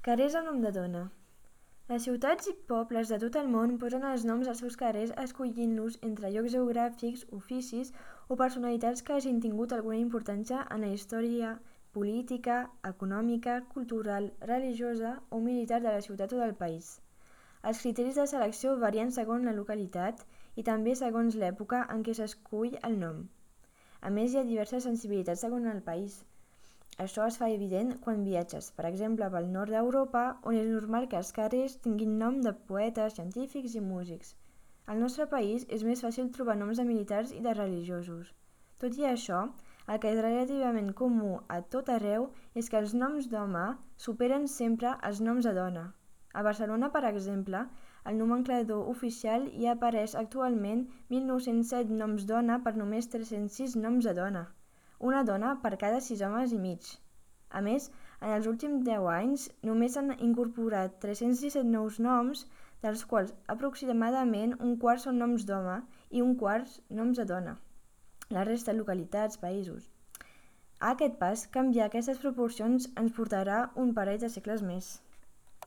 Carrers amb nom de dona. Les ciutats i pobles de tot el món posen els noms als seus carrers escollint-los entre llocs geogràfics, oficis o personalitats que hagin tingut alguna importància en la història política, econòmica, cultural, religiosa o militar de la ciutat o del país. Els criteris de selecció varien segons la localitat i també segons l'època en què s'escull el nom. A més, hi ha diverses sensibilitats segons el país. Això es fa evident quan viatges, per exemple, pel nord d'Europa, on és normal que els carrers tinguin nom de poetes, científics i músics. Al nostre país és més fàcil trobar noms de militars i de religiosos. Tot i això, el que és relativament comú a tot arreu és que els noms d'home superen sempre els noms de dona. A Barcelona, per exemple, al nomenclador oficial hi apareix actualment 1.907 noms dona per només 306 noms de dona. Una dona per cada 6 homes i mig. A més, en els últims 10 anys només s'han incorporat 317 nous noms, dels quals aproximadament un quart són noms d'home i un quart noms de dona. La resta localitats, països. A aquest pas, canviar aquestes proporcions ens portarà un parell de segles més.